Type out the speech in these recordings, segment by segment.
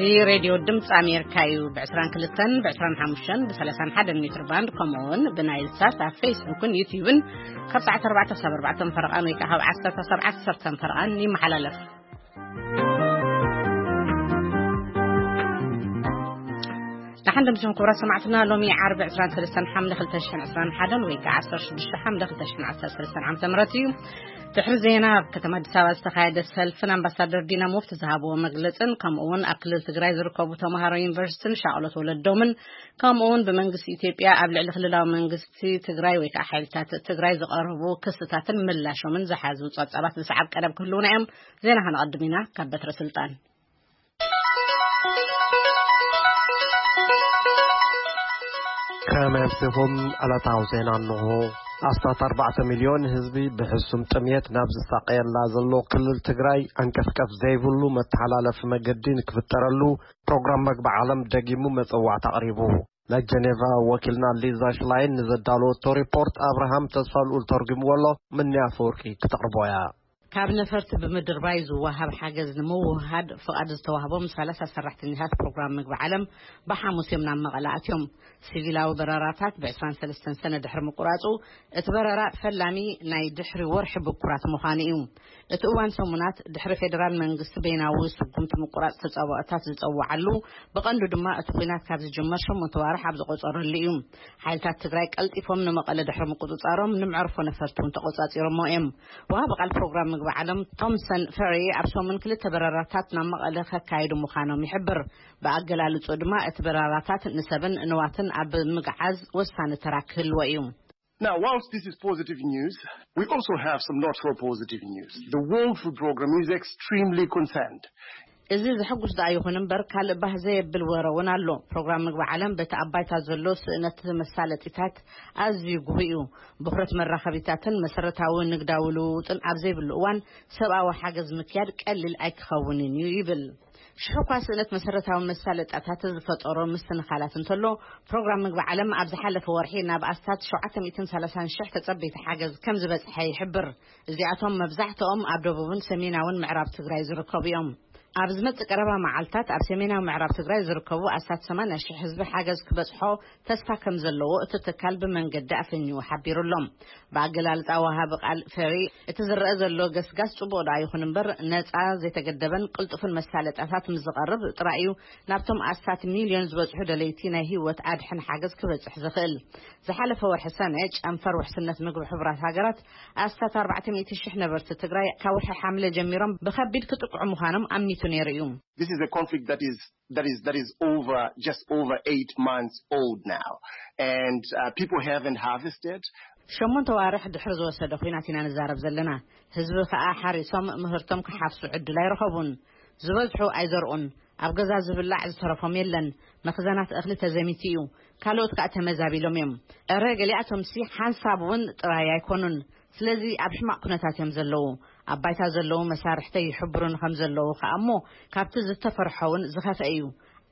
እዚ ሬድዮ ድምፂ ኣሜሪካ እዩ። ብ22፣ ብ25፣ ብ31 ሜትር ባንድ፣ ከምኡ እውን ብናይል ሳት ኣብ ፌስቡክን ዩቲዩብን ካብ ሰዓት ኣርባዕተ ክሳብ ኣርባዕተ ፈረቓን ወይ ከዓ ካብ ዓሰርተ ክሳብ ዓሰርተ ፈረቓን ይመሓላለፍ። ደሓን ደምስኹም ክቡራት ሰማዕትና። ሎሚ ዓርቢ ዕስራን ሰለስተን ሓምለ ክልተ ሽሕን ዕስራን ሓደን ወይ ከዓ ዓሰርተ ሽዱሽተ ሓምለ ክልተ ሽሕን ዓሰርተ ሰለስተን ዓመተ ምህረት እዩ። ድሕሪ ዜና፣ ኣብ ከተማ ኣዲስ ኣበባ ዝተኻየደ ሰልፍን ኣምባሳደር ዲና ሙፍቲ ዝሃብዎ መግለጽን፣ ከምኡ እውን ኣብ ክልል ትግራይ ዝርከቡ ተምሃሮ ዩኒቨርሲቲን ሻቕሎት ወለዶምን፣ ከምኡ እውን ብመንግስቲ ኢትዮጵያ ኣብ ልዕሊ ክልላዊ መንግስቲ ትግራይ ወይ ከዓ ሓይልታት ትግራይ ዝቐረቡ ክስታትን ምላሾምን ዝሓዙ ጸብጻባት ዝሰዓብ ቀረብ ክህልውና እዮም። ዜና ከነቐድም ኢና። ካብ በትረ ስልጣን። ከመይ ኣምሲኹም? ዕለታዊ ዜና እንሆ። ኣስታት ኣርባዕተ ሚልዮን ህዝቢ ብሕሱም ጥምየት ናብ ዝሳቀየላ ዘሎ ክልል ትግራይ፣ ዓንቀፍቀፍ ዘይብሉ መተሓላለፊ መገዲ ንክፍጠረሉ ፕሮግራም መግቢ ዓለም ደጊሙ መጸዋዕታ ኣቕሪቡ። ናይ ጀኔቫ ወኪልና ሊዛ ሽላይን ንዘዳለወቶ ሪፖርት ኣብርሃም ተስፋልኡል ተርጉምዎ ኣሎ። ምንያ ኣፈወርቂ ክተቕርቦ እያ። ካብ ነፈርቲ ብምድርባይ ዝወሃብ ሓገዝ ንምውህሃድ ፍቓድ ዝተዋህቦም ሰላሳ ሰራሕተኛታት ፕሮግራም ምግቢ ዓለም ብሓሙስ እዮም ናብ መቐለ ኣትዮም። ሲቪላዊ በረራታት ብ23 ሰነ ድሕሪ ምቁራጹ፣ እቲ በረራ ፈላሚ ናይ ድሕሪ ወርሒ ብኩራት ምዃኑ እዩ። እቲ እዋን ሰሙናት ድሕሪ ፌደራል መንግስቲ በይናዊ ስጉምቲ ምቁራጽ ተጻብኦታት ዝጸውዓሉ፣ ብቐንዱ ድማ እቲ ኲናት ካብ ዝጅመር ሸሞንተ ዋርሕ ኣብ ዝቆጸረሉ እዩ። ሓይልታት ትግራይ ቀልጢፎም ንመቐለ ድሕሪ ምቁጽጻሮም፣ ንመዕርፎ ነፈርቲ እውን ተቆጻጺሮሞ እዮም። ወሃቢ ቃል ፕሮግራም ምግቢ ዓለም ቶምሰን ፈሪ ኣብ ሰሙን ክልተ በረራታት ናብ መቐለ ከካይዱ ምዃኖም ይሕብር። ብኣገላልጹ ድማ እቲ በረራታት ንሰብን ንዋትን ኣብ ምግዓዝ ወሳኒ ተራ ክህልዎ እዩ። Now, whilst this is positive news, we also have some not so positive news. The World Food Programme is extremely concerned. እዚ ዘሐጉስ ደኣ ይኹን እምበር፣ ካልእ ባህ ዘየብል ወረ እውን ኣሎ። ፕሮግራም ምግቢ ዓለም በቲ ኣብ ባይታ ዘሎ ስእነት መሳለጢታት ኣዝዩ ግሁእ እዩ። ብኽረት መራኸቢታትን መሰረታዊ ንግዳዊ ልውውጥን ኣብ ዘይብሉ እዋን፣ ሰብኣዊ ሓገዝ ምክያድ ቀሊል ኣይክኸውንን እዩ ይብል። ሽሕ እኳ ስእነት መሰረታዊ መሳለጣታት ዝፈጠሮ ምስትንኻላት እንተሎ፣ ፕሮግራም ምግቢ ዓለም ኣብ ዝሓለፈ ወርሒ ናብ ኣስታት ሸውዓተ ሚእትን ሰላሳን ሽሕ ተጸበይቲ ሓገዝ ከም ዝበጽሐ ይሕብር። እዚኣቶም መብዛሕትኦም ኣብ ደቡብን ሰሜናውን ምዕራብ ትግራይ ዝርከቡ እዮም። ኣብ ዝመጽእ ቀረባ መዓልታት ኣብ ሰሜናዊ ምዕራብ ትግራይ ዝርከቡ ኣስታት ሰማንያ ሽሕ ህዝቢ ሓገዝ ክበጽሖ ተስፋ ከም ዘለዎ እቲ ትካል ብመንገዲ ኣፈንዩ ሓቢሩ ኣሎ። ብኣገላልጻ ወሃቢ ቃል ፈሪ፣ እቲ ዝረአ ዘሎ ገስጋስ ጽቡቕ ደኣ ይኹን እምበር፣ ነጻ፣ ዘይተገደበን ቅልጡፍን መሳለጣታት ምስ ዝቐርብ ጥራይ እዩ ናብቶም ኣስታት ሚልዮን ዝበጽሑ ደለይቲ ናይ ህይወት ኣድሕን ሓገዝ ክበጽሕ ዝኽእል። ዝሓለፈ ወርሒ ሰነ፣ ጨንፈር ውሕስነት ምግቢ ሕቡራት ሃገራት ኣስታት ኣርባዕተ ሚእቲ ሽሕ ነበርቲ ትግራይ ካብ ወርሒ ሓምለ ጀሚሮም ብኸቢድ ክጥቅዑ ምዃኖም ኣሚቱ ነይሩ እዩ። This is a conflict that is that is that is over just over eight months old now, and uh, people haven't harvested. ሸሞንተ ዋርሕ ድሕሪ ዝወሰደ ኲናት ኢና ንዛረብ ዘለና። ህዝቢ ከኣ ሓሪሶም ምህርቶም ክሓፍሱ ዕድል ኣይረኸቡን። ዝበዝሑ ኣይዘርኡን። ኣብ ገዛ ዝብላዕ ዝተረፎም የለን። መኽዘናት እኽሊ ተዘሚቱ እዩ። ካልኦት ከኣ ተመዛቢሎም እዮም። እረ፣ ገሊኣቶምሲ ሓንሳብ እውን ጥራይ ኣይኮኑን። ስለዚ ኣብ ሕማቕ ኩነታት እዮም ዘለዉ። ኣብ ባይታ ዘለዉ መሳርሕተይ ይሕብሩን ከም ዘለዉ ከኣ እሞ፣ ካብቲ ዝተፈርሖ እውን ዝኸፍአ እዩ።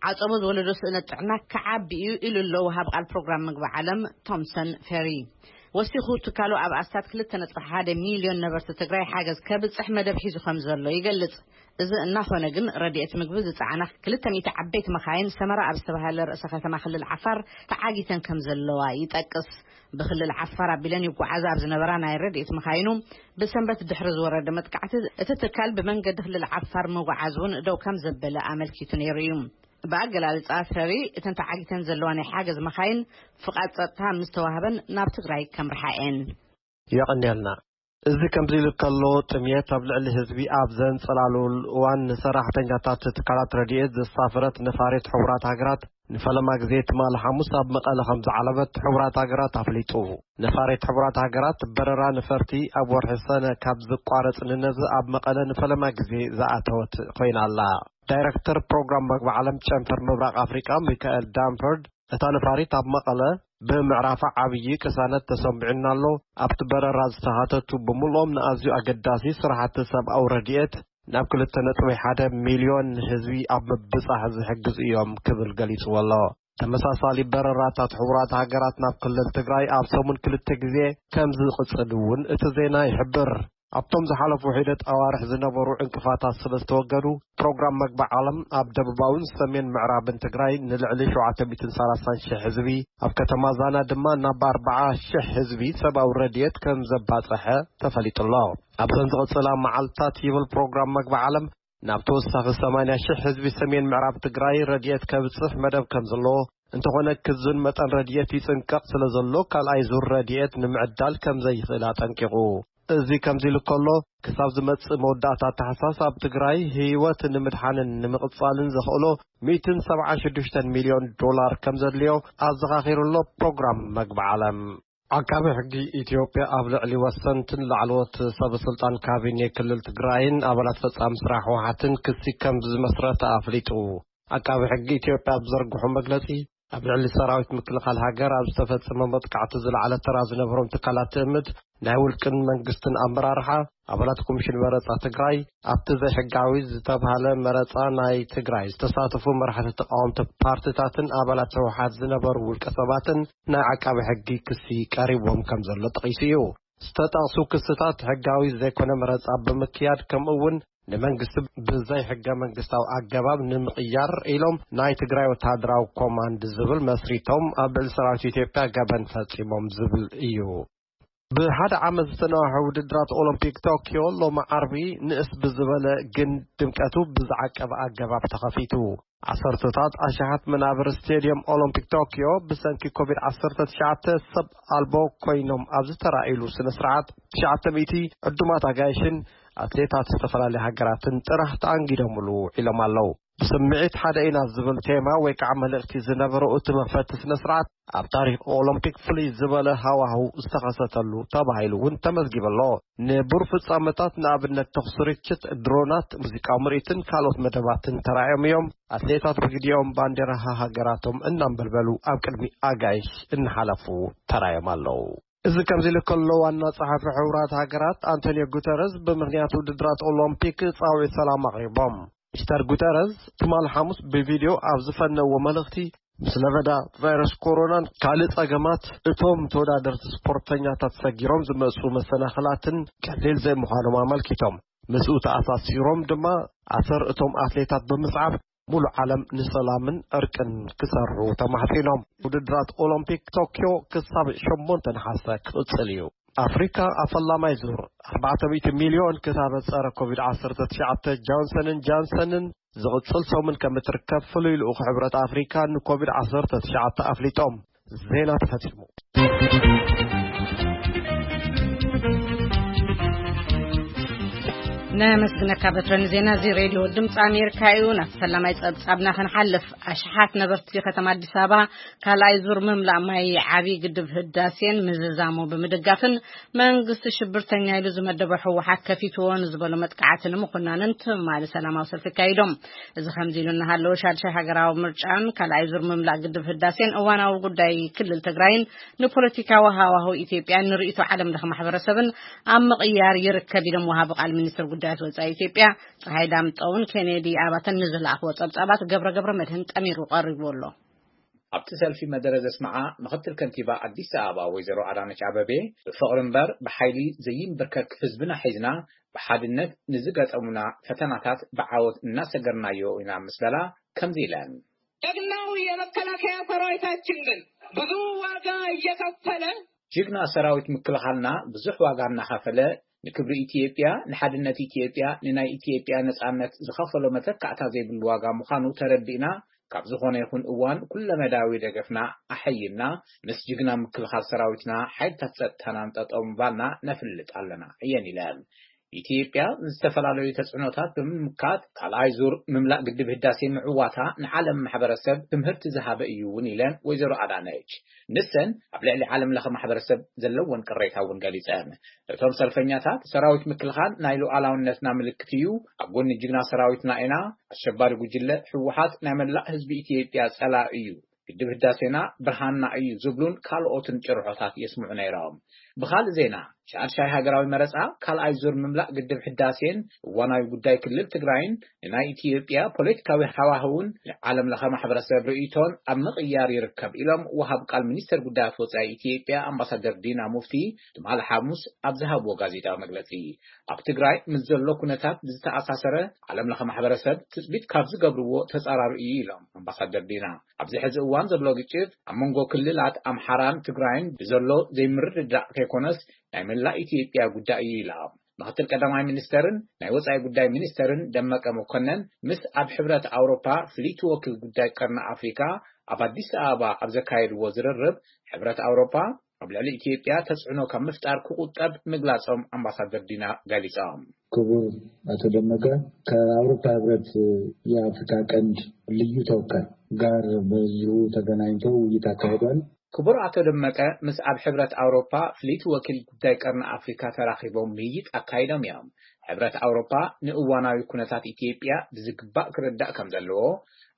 ዓጸቦ ዝወለዶ ስእነት ጥዕና ክዓቢ እዩ ኢሉ ኣሎ ወሃብ ቃል ፕሮግራም ምግቢ ዓለም ቶምሰን ፌሪ። ወሲኹ፣ ትካሉ ኣብ ኣስታት ክልተ ነጥቢ ሓደ ሚልዮን ነበርቲ ትግራይ ሓገዝ ከብጽሕ መደብ ሒዙ ከም ዘሎ ይገልጽ። እዚ እናኾነ ግን፣ ረድኤት ምግቢ ዝጸዓና ክልተ ሚእቲ ዓበይቲ መኻይን ሰመራ ኣብ ዝተባህለ ርእሰ ከተማ ክልል ዓፋር ተዓጊተን ከም ዘለዋ ይጠቅስ። ብክልል ዓፋር ኣቢለን ይጓዓዛ ኣብ ዝነበራ ናይ ረድኤት መኻይኑ ብሰንበት ድሕሪ ዝወረደ መጥቃዕቲ፣ እቲ ትካል ብመንገዲ ክልል ዓፋር ምጉዓዝ እውን ደው ከም ዘበለ ኣመልኪቱ ነይሩ እዩ። ብኣገላልጻ ሰሪ፣ እተን ተዓጊተን ዘለዋ ናይ ሓገዝ መኻይን ፍቓድ ጸጥታ ምስ ተዋህበን ናብ ትግራይ ከምርሓ እየን። የቐንየልና። እዚ ከምዚ ኢሉ ከሎ፣ ጥምየት ኣብ ልዕሊ ህዝቢ ኣብ ዘንጸላልወሉ እዋን፣ ንሰራሕተኛታት ትካላት ረድኤት ዘሳፈረት ነፋሪት ሕቡራት ሃገራት ንፈለማ ግዜ ትማሊ ሓሙስ ኣብ መቐለ ከም ዝዓለበት ሕቡራት ሃገራት ኣፍሊጡ። ነፋሪት ሕቡራት ሃገራት በረራ ነፈርቲ ኣብ ወርሒ ሰነ ካብ ዝቋረጽ ንነዚ ኣብ መቐለ ንፈለማ ግዜ ዝኣተወት ኮይና ኣላ። ዳይረክተር ፕሮግራም መግቢ ዓለም ጨንፈር ምብራቕ ኣፍሪቃ ሚካኤል ዳምፈርድ፣ እታ ነፋሪት ኣብ መቐለ ብምዕራፋ ዓብዪ ቅሳነት ተሰምዒና ኣሎ። ኣብቲ በረራ ዝተኻተቱ ብምልኦም ንኣዝዩ ኣገዳሲ ስራሕቲ ሰብኣዊ ረድኤት ናብ ክልተ ነጥቢ ሓደ ሚልዮን ህዝቢ ኣብ ምብጻሕ ዝሕግዝ እዮም ክብል ገሊጽዎ ኣሎ። ተመሳሳሊ በረራታት ሕቡራት ሃገራት ናብ ክልል ትግራይ ኣብ ሰሙን ክልተ ግዜ ከም ዝቕጽል እውን እቲ ዜና ይሕብር። ኣብቶም ዝሓለፉ ሒደት ኣዋርሕ ዝነበሩ ዕንቅፋታት ስለ ዝተወገዱ፣ ፕሮግራም መግቢ ዓለም ኣብ ደቡባውን ሰሜን ምዕራብን ትግራይ ንልዕሊ ሸውዓተ ሚእትን ሰላሳን ሽሕ ህዝቢ፣ ኣብ ከተማ ዛና ድማ ናብ ኣርባዓ ሽሕ ህዝቢ ሰብኣዊ ረድኤት ከም ዘባፀሐ ተፈሊጡ ኣሎ። ኣብዘን ዝቕፅላ መዓልታት ይብል ፕሮግራም መግቢ ዓለም፣ ናብ ተወሳኺ ሰማንያ ሽሕ ህዝቢ ሰሜን ምዕራብ ትግራይ ረድኤት ከብፅሕ መደብ ከም ዘለዎ፣ እንተኾነ ክዝን መጠን ረድኤት ይፅንቀቕ ስለ ዘሎ ካልኣይ ዙር ረድኤት ንምዕዳል ከም ዘይኽእል ኣጠንቂቑ። እዚ ከምዚ ኢሉ ከሎ፣ ክሳብ ዝመጽእ መወዳእታ ታሕሳስ ኣብ ትግራይ ህይወት ንምድሓንን ንምቕጻልን ዘኽእሎ ሚእትን ሰብዓን ሽዱሽተን ሚልዮን ዶላር ከም ዘድልዮ ኣዘኻኺሩ ኣሎ ፕሮግራም መግቢ ዓለም። ዓቃቢ ሕጊ ኢትዮጵያ ኣብ ልዕሊ ወሰንትን ላዕለዎት ሰበ ስልጣን ካቢኔ ክልል ትግራይን ኣባላት ፈጻሚ ስራሕ ህወሓትን ክሲ ከም ዝመስረተ ኣፍሊጡ። ዓቃቢ ሕጊ ኢትዮጵያ ኣብ ዘርግሖ መግለጺ፣ ኣብ ልዕሊ ሰራዊት ምክልኻል ሃገር ኣብ ዝተፈጸመ መጥቃዕቲ ዝለዓለ ተራ ዝነበሮም ትካላት ትእምት፣ ናይ ውልቅን መንግስትን ኣመራርሓ፣ ኣባላት ኮሚሽን መረጻ ትግራይ፣ ኣብቲ ዘይሕጋዊ ዝተብሃለ መረጻ ናይ ትግራይ ዝተሳተፉ መራሕቲ ተቃወምቲ ፓርቲታትን ኣባላት ህወሓት ዝነበሩ ውልቀ ሰባትን ናይ ዓቃቢ ሕጊ ክሲ ቀሪቦም ከም ዘሎ ጠቒሱ እዩ። ዝተጠቕሱ ክስታት ሕጋዊ ዘይኮነ መረጻ ብምክያድ፣ ከምኡ እውን ንመንግስቲ ብዘይ ሕገ መንግስታዊ ኣገባብ ንምቕያር ኢሎም ናይ ትግራይ ወተሃደራዊ ኮማንድ ዝብል መስሪቶም ኣብ ልዕሊ ሰራዊት ኢትዮጵያ ገበን ፈጺሞም ዝብል እዩ። ብሓደ ዓመት ዝተነዋሐ ውድድራት ኦሎምፒክ ቶኪዮ ሎሚ ዓርቢ ንእስ ብዝበለ ግን ድምቀቱ ብዝዓቀበ ኣገባብ ተኸፊቱ። ዓሰርተታት ኣሽሓት መናብር ስቴድየም ኦሎምፒክ ቶኪዮ ብሰንኪ ኮቪድ ዓሰርተ ትሽዓተ ሰብ ኣልቦ ኮይኖም ኣብ ዝተራእይሉ ስነ ስርዓት፣ ትሽዓተ ሚእቲ ዕዱማት ኣጋይሽን ኣትሌታት ዝተፈላለዩ ሃገራትን ጥራሕ ተኣንጊዶምሉ ውዒሎም ኣለዉ። ብስምዒት ሓደ ኢና ዝብል ቴማ ወይ ከዓ መልእኽቲ ዝነበሮ እቲ መኽፈቲ ስነ ስርዓት፣ ኣብ ታሪኽ ኦሎምፒክ ፍሉይ ዝበለ ሃዋህው ዝተኸሰተሉ ተባሂሉ እውን ተመዝጊቡ ኣሎ። ንቡር ፍጻመታት ንኣብነት ተኹሲ ርችት፣ ድሮናት፣ ሙዚቃዊ ምርኢትን ካልኦት መደባትን ተራእዮም እዮም። ኣትሌታት ብግዲኦም ባንዴራ ሃገራቶም እናንበልበሉ ኣብ ቅድሚ ኣጋይሽ እናሓለፉ ተራእዮም ኣለዉ። እዚ ከምዚ ኢሉ ከሎ፣ ዋና ጸሓፊ ሕቡራት ሃገራት ኣንቶኒዮ ጉተረዝ ብምኽንያት ውድድራት ኦሎምፒክ ጻውዒት ሰላም ኣቕሪቦም። ሚስተር ጉተረዝ ትማል ሓሙስ ብቪድዮ ኣብ ዝፈነዎ መልእኽቲ፣ ምስ ለበዳ ቫይረስ ኮሮናን ካልእ ጸገማት እቶም ተወዳደርቲ ስፖርተኛታት ሰጊሮም ዝመጹ መሰናኽላትን ቀሊል ዘይምዃኖም ኣመልኪቶም። ምስኡ ተኣሳሲሮም ድማ ኣሰር እቶም ኣትሌታት ብምስዓብ ሙሉእ ዓለም ንሰላምን ዕርቅን ክሰርሑ ተማሕጺኖም። ውድድራት ኦሎምፒክ ቶኪዮ ክሳብ ሸሞንተ ነሓሰ ክቕጽል እዩ። ኣፍሪካ ኣብ ፈላማይ ዙር ኣርባዕተ ሚእቲ ሚልዮን ክታበት ጸረ ኮቪድ ዓሰርተ ትሽዓተ ጆንሰንን ጃንሰንን ዝቕጽል ሰሙን ከም እትርከብ ፍሉይ ልኡኽ ሕብረት ኣፍሪካ ንኮቪድ ዓሰርተ ትሽዓተ ኣፍሊጦም። ዜና ተፈጺሙ። ነመስግነካ በትረ። ንዜና እዚ ሬድዮ ድምፂ ኣሜሪካ እዩ። ናብ ፈላማይ ጸብጻብና ክንሓልፍ፣ ኣሽሓት ነበርቲ ከተማ ኣዲስ ኣበባ ካልኣይ ዙር ምምላእ ማይ ዓብዪ ግድብ ህዳሴን ምዝዛሙ ብምድጋፍን መንግስቲ ሽብርተኛ ኢሉ ዝመደቦ ህወሓት ከፊትዎ ንዝበሎ መጥቃዕቲ ንምኹናንን ትማሊ ሰላማዊ ሰልፊ ኣካይዶም። እዚ ከምዚ ኢሉ እናሃለወ፣ ሻድሻይ ሃገራዊ ምርጫን ካልኣይ ዙር ምምላእ ግድብ ህዳሴን እዋናዊ ጉዳይ ክልል ትግራይን ንፖለቲካዊ ሃዋህው ኢትዮጵያን ንርእይቶ ዓለም ለኸ ማሕበረሰብን ኣብ ምቕያር ይርከብ ኢሎም ወሃቢ ቃል ሚኒስትር ጉዳያት ወጻኢ ኢትዮጵያ ጸሃይ ዳምጠውን ኬኔዲ ኣባተን ንዝለኣኽዎ ጸብጻባት ገብረ ገብረ መድህን ጠሚሩ ቀሪቡ ኣሎ። ኣብቲ ሰልፊ መደረ ዘስምዓ ምኽትል ከንቲባ ኣዲስ ኣበባ ወይዘሮ ኣዳነች ኣበቤ፣ ብፍቕሪ እምበር ብሓይሊ ዘይንበርከክ ህዝብና ሒዝና ብሓድነት ንዝገጠሙና ፈተናታት ብዓወት እናሰገርናዮ ኢና ምስ በላ ከምዚ ኢለን። ጀግናው የመከላከያ ሰራዊታችን ግን ብዙ ዋጋ እየከፈለ ጅግና ሰራዊት ምክልኻልና ብዙሕ ዋጋ እናኸፈለ ንክብሪ ኢትዮጵያ፣ ንሓድነት ኢትዮጵያ፣ ንናይ ኢትዮጵያ ነጻነት ዝኸፈሎ መተካእታ ዘይብሉ ዋጋ ምዃኑ ተረዲእና፣ ካብ ዝኾነ ይኹን እዋን ኩለመዳያዊ ደገፍና ኣሐይልና ምስ ጅግና ምክልኻል ሰራዊትና ሓይልታት ጸጥታናን ጠጠው ምባልና ነፍልጥ ኣለና እየን ኢለን። ኢትዮጵያ ዝተፈላለዩ ተጽዕኖታት ብምምካት ካልኣይ ዙር ምምላእ ግድብ ህዳሴ ምዕዋታ ንዓለም ማሕበረሰብ ትምህርቲ ዝሃበ እዩ እውን ኢለን ወይዘሮ ኣዳነች። ንሰን ኣብ ልዕሊ ዓለም ለኸ ማሕበረሰብ ዘለወን ቅሬታ እውን ገሊጸን። እቶም ሰልፈኛታት ሰራዊት ምክልኻል ናይ ሉዓላውነትና ምልክት እዩ፣ ኣብ ጎኒ ጅግና ሰራዊትና ኢና፣ ኣሸባሪ ጉጅለ ህወሓት ናይ መላእ ህዝቢ ኢትዮጵያ ጸላኢ እዩ፣ ግድብ ህዳሴና ብርሃንና እዩ ዝብሉን ካልኦትን ጭርሖታት የስምዑ ነይሮም። ብኻልእ ዜና፣ ሻድሻይ ሃገራዊ መረጻ ካልኣይ ዙር ምምላእ ግድብ ሕዳሴን እዋናዊ ጉዳይ ክልል ትግራይን ንናይ ኢትዮጵያ ፖለቲካዊ ሃዋህውን ዓለም ለኸ ማሕበረሰብ ርእይቶን ኣብ ምቕያር ይርከብ ኢሎም ወሃብ ቃል ሚኒስተር ጉዳያት ወጻኢ ኢትዮጵያ ኣምባሳደር ዲና ሙፍቲ ትማሊ ሓሙስ ኣብ ዝሃብዎ ጋዜጣዊ መግለጺ። ኣብ ትግራይ ምስ ዘሎ ኩነታት ብዝተኣሳሰረ ዓለም ለኸ ማሕበረሰብ ትጽቢት ካብ ዝገብርዎ ተጻራሪ እዩ ኢሎም ኣምባሳደር ዲና። ኣብዚ ሕዚ እዋን ዘሎ ግጭት ኣብ መንጎ ክልላት ኣምሓራን ትግራይን ብዘሎ ዘይምርድዳእ ከይኮነስ ናይ መላእ ኢትዮጵያ ጉዳይ እዩ ኢላ። ምክትል ቀዳማይ ሚኒስተርን ናይ ወጻኢ ጉዳይ ሚኒስተርን ደመቀ መኮነን ምስ ኣብ ሕብረት ኣውሮፓ ፍልይቲ ወኪል ጉዳይ ቀርኒ ኣፍሪካ ኣብ ኣዲስ ኣበባ ኣብ ዘካየድዎ ዝርርብ፣ ሕብረት ኣውሮፓ ኣብ ልዕሊ ኢትዮጵያ ተጽዕኖ ካብ ምፍጣር ክቁጠብ ምግላጾም ኣምባሳደር ዲና ገሊጾም። ክቡር ኣቶ ደመቀ፣ ከአውሮፓ ህብረት የአፍሪካ ቀንድ ልዩ ተወካይ ጋር በዚሁ ተገናኝተው ውይይት አካሂደዋል። ክቡር ኣቶ ደመቀ ምስ ኣብ ሕብረት ኣውሮፓ ፍልይቲ ወኪል ጉዳይ ቀርኒ ኣፍሪካ ተራኺቦም ምይይጥ ኣካይዶም እዮም። ሕብረት ኣውሮፓ ንእዋናዊ ኩነታት ኢትዮጵያ ብዝግባእ ክርዳእ ከም ዘለዎ፣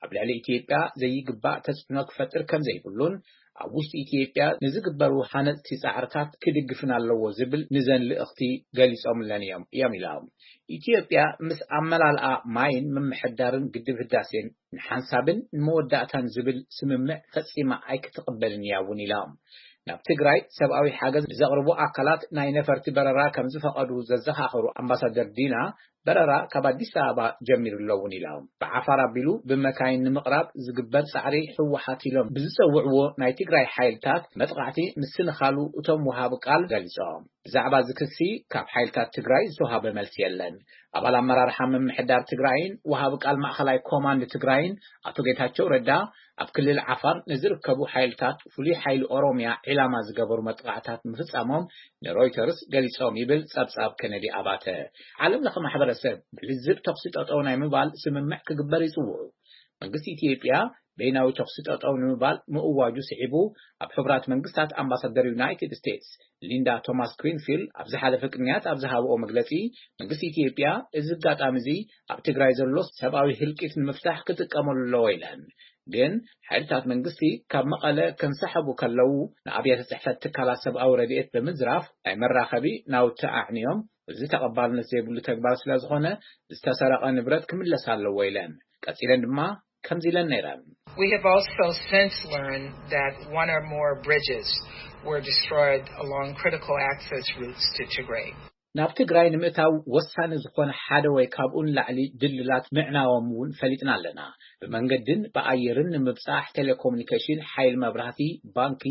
ኣብ ልዕሊ ኢትዮጵያ ዘይግባእ ተጽዕኖ ክፈጥር ከም ዘይብሉን ኣብ ውሽጢ ኢትዮጵያ ንዝግበሩ ሃነጽቲ ጻዕርታት ክድግፍን ኣለዎ ዝብል ንዘን ልእኽቲ ገሊጾምለን እዮም እዮም ኢሎም። ኢትዮጵያ ምስ ኣመላልኣ ማይን ምምሕዳርን ግድብ ህዳሴን ንሓንሳብን ንመወዳእታን ዝብል ስምምዕ ፈጺማ ኣይክትቕበልን እያ እውን ኢሎም። ናብ ትግራይ ሰብኣዊ ሓገዝ ንዘቕርቡ ኣካላት ናይ ነፈርቲ በረራ ከም ዝፈቐዱ ዘዘኻኸሩ ኣምባሳደር ዲና፣ በረራ ካብ ኣዲስ ኣበባ ጀሚሩ ኣሎ እውን ኢሎም። ብዓፋር ኣቢሉ ብመካይን ንምቕራብ ዝግበር ጻዕሪ ህወሓት ኢሎም ብዝጸውዕዎ ናይ ትግራይ ሓይልታት መጥቓዕቲ ምስንኻሉ እቶም ወሃቢ ቃል ገሊጾም። ብዛዕባ እዚ ክሲ ካብ ሓይልታት ትግራይ ዝተዋሃበ መልሲ የለን። ኣባል ኣመራርሓ ምምሕዳር ትግራይን ወሃቢ ቃል ማእኸላይ ኮማንድ ትግራይን ኣቶ ጌታቸው ረዳ ኣብ ክልል ዓፋር ንዝርከቡ ሓይልታት ፍሉይ ሓይሊ ኦሮሚያ ዒላማ ዝገበሩ መጥቓዕታት ምፍጻሞም ንሮይተርስ ገሊጾም ይብል ጸብጻብ ከነዲ ኣባተ። ዓለም ለኸ ማሕበረሰብ ብልዝብ ተኹሲ ጠጠው ናይ ምባል ስምምዕ ክግበር ይጽውዑ። መንግስቲ ኢትዮጵያ በይናዊ ተኹሲ ጠጠው ንምባል ምእዋጁ ስዒቡ ኣብ ሕቡራት መንግስታት ኣምባሳደር ዩናይትድ ስቴትስ ሊንዳ ቶማስ ግሪንፊልድ ኣብ ዝሓለፈ ቅንያት ኣብ ዝሃብኦ መግለጺ፣ መንግስቲ ኢትዮጵያ እዚ ኣጋጣሚ እዚ ኣብ ትግራይ ዘሎ ሰብኣዊ ህልቂት ንምፍታሕ ክጥቀመሉ ኣለዎ ኢለን። ግን ሓይልታት መንግስቲ ካብ መቐለ ከንሰሓቡ ከለዉ ንኣብያተ ጽሕፈት ትካላት ሰብኣዊ ረድኤት ብምዝራፍ ናይ መራኸቢ ናውቲ ኣዕንዮም፣ እዚ ተቐባልነት ዘይብሉ ተግባር ስለ ዝኾነ ዝተሰረቐ ንብረት ክምለስ ኣለዎ ኢለን። ቀጺለን ድማ ከምዚ ኢለን ነይረን። We have also since learned that one or more bridges were destroyed along critical access routes to Tigray. ናብ ትግራይ ንምእታው ወሳኒ ዝኾነ ሓደ ወይ ካብኡ ንላዕሊ ድልድላት ምዕናዎም እውን ፈሊጥና ኣለና። ብመንገድን ብኣየርን ንምብጻሕ ቴሌኮሙኒኬሽን፣ ሓይሊ መብራህቲ፣ ባንኪ፣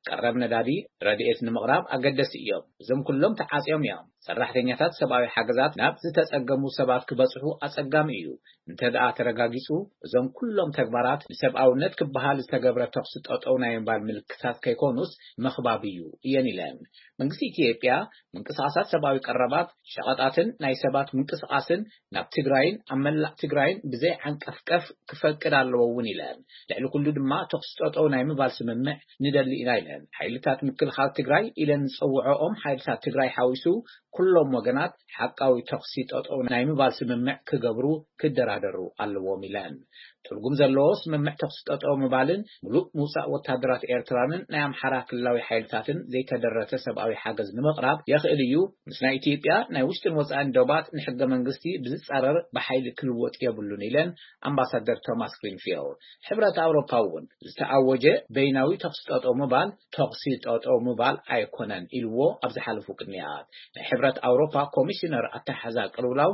ቀረብ ነዳዲ፣ ረድኤት ንምቕራብ ኣገደሲ እዮም። እዞም ኩሎም ተዓጽዮም እዮም። ሰራሕተኛታት ሰብኣዊ ሓገዛት ናብ ዝተጸገሙ ሰባት ክበጽሑ ኣጸጋሚ እዩ። እንተ ደኣ ተረጋጊጹ፣ እዞም ኩሎም ተግባራት ንሰብኣውነት ክበሃል ዝተገብረ ተኹሲ ጠጠው ናይ ምባል ምልክታት ከይኮኑስ ምኽባብ እዩ እየን ኢለን። መንግስቲ ኢትዮጵያ ምንቅስቓሳት ሰብኣዊ ቀረባት፣ ሸቐጣትን ናይ ሰባት ምንቅስቓስን ናብ ትግራይን ኣብ መላእ ትግራይን ብዘይ ዓንቀፍቀፍ ክፈቅድ ኣለዎ እውን ኢለን። ልዕሊ ኩሉ ድማ ተኹሲ ጠጠው ናይ ምባል ስምምዕ ንደሊ ኢና ኢለን። ሓይልታት ምክልኻል ትግራይ ኢለን ዝጸውዖኦም ሓይልታት ትግራይ ሓዊሱ ኩሎም ወገናት ሓቃዊ ተኹሲ ጠጠው ናይ ምባል ስምምዕ ክገብሩ ክደራደሩ ኣለዎም ኢለን። ትርጉም ዘለዎ ስምምዕ ተኹሲ ጠጠው ምባልን ምሉእ ምውጻእ ወታደራት ኤርትራንን ናይ ኣምሓራ ክልላዊ ሓይልታትን ዘይተደረተ ሰብኣዊ ሓገዝ ንምቕራብ የኽእል እዩ። ምስ ናይ ኢትዮጵያ ናይ ውሽጥን ወጻእን ዶባት ንሕገ መንግስቲ ብዝጻረር ብሓይሊ ክልወጥ የብሉን ኢለን ኣምባሳደር ቶማስ ግሪንፊልድ። ሕብረት ኣውሮፓ እውን ዝተኣወጀ በይናዊ ተኹሲ ጠጠው ምባል ተኹሲ ጠጠው ምባል ኣይኮነን ኢልዎ ኣብ ዝሓለፉ ቅንያት። ናይ ሕብረት ኣውሮፓ ኮሚሽነር ኣተሓዛ ቅልውላው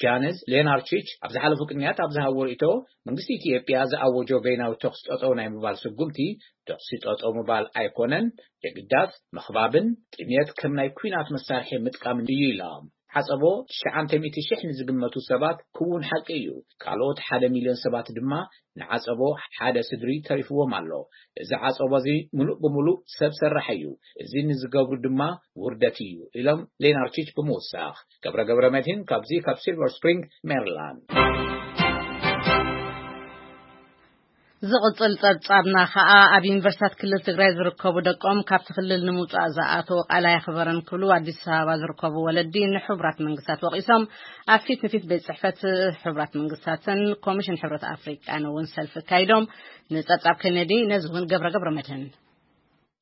ጃንስ ሌናርቺች ኣብ ዝሓለፉ ቅንያት ኣብ ዝሃብዎ ርእይቶ፣ መንግስቲ ኢትዮጵያ ዝኣወጆ በይናዊ ተኹሲ ጠጠው ናይ ምባል ስጉምቲ ተኹሲ ጠጠው ምባል ኣይኮነን፣ የግዳስ ምኽባብን ጥሜት ከም ናይ ኲናት መሳርሒ ምጥቃምን እዩ ኢሎም። ዓጸቦ ትሽዓተ ሚእቲ ሽሕ ንዝግመቱ ሰባት ክውን ሓቂ እዩ። ካልኦት ሓደ ሚልዮን ሰባት ድማ ንዓጸቦ ሓደ ስድሪ ተሪፍዎም ኣሎ። እዚ ዓጸቦ እዚ ምሉእ ብምሉእ ሰብ ሰራሕ እዩ። እዚ ንዝገብሩ ድማ ውርደት እዩ ኢሎም ሌናርቺች ብምውሳኽ። ገብረ ገብረ መድህን ካብዚ ካብ ሲልቨር ስፕሪንግ ሜሪላንድ። ዝቕጽል ጸብጻብና ከኣ ኣብ ዩኒቨርሲታት ክልል ትግራይ ዝርከቡ ደቆም ካብቲ ክልል ንምውጻእ ዝኣተዉ ቃል ኣየኽበረን ክብሉ ኣዲስ ኣበባ ዝርከቡ ወለዲ ንሕቡራት መንግስታት ወቒሶም። ኣብ ፊት ንፊት ቤት ጽሕፈት ሕቡራት መንግስታትን ኮሚሽን ሕብረት ኣፍሪቃን እውን ሰልፊ ኣካይዶም። ንጸብጻብ ኬኔዲ ነዚ እውን ገብረ ገብረ መድህን።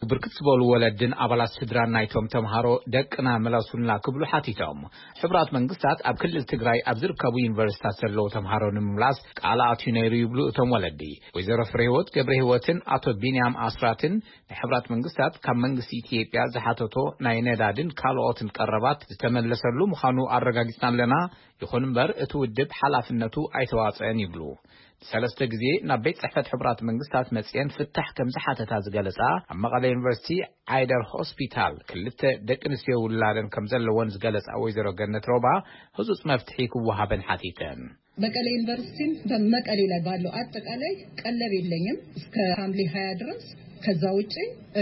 ብርክት ዝበሉ ወለድን ኣባላት ስድራን ናይቶም ተምሃሮ፣ "ደቅና መለሱልና" ክብሉ ሓቲቶም። ሕቡራት መንግስታት ኣብ ክልል ትግራይ ኣብ ዝርከቡ ዩኒቨርሲታት ዘለዉ ተምሃሮ ንምምላስ ቃል ኣትዩ ነይሩ ይብሉ እቶም ወለዲ። ወይዘሮ ፍሬህይወት ገብረ ህይወትን ኣቶ ቢንያም ኣስራትን፣ ንሕቡራት መንግስታት ካብ መንግስቲ ኢትዮጵያ ዝሓተቶ ናይ ነዳድን ካልኦትን ቀረባት ዝተመለሰሉ ምዃኑ ኣረጋጊጽና ኣለና። ይኹን እምበር፣ እቲ ውድብ ሓላፍነቱ ኣይተዋጽአን ይብሉ። ሰለስተ ግዜ ናብ ቤት ጽሕፈት ሕቡራት መንግስታት መጽየን ፍታሕ ከም ዝሓተታ ዝገለጻ፣ ኣብ መቐለ ዩኒቨርሲቲ ዓይደር ሆስፒታል ክልተ ደቂ ኣንስትዮ ውላደን ከም ዘለወን ዝገለጻ ወይዘሮ ገነት ሮባ፣ ህጹጽ መፍትሒ ክወሃበን ሓቲተን። መቀሌ ዩኒቨርሲቲን በመቀሌ ላይ ባለው አጠቃላይ ቀለብ የለኝም እስከ ሐምሌ ሃያ ድረስ። ከዛ ውጪ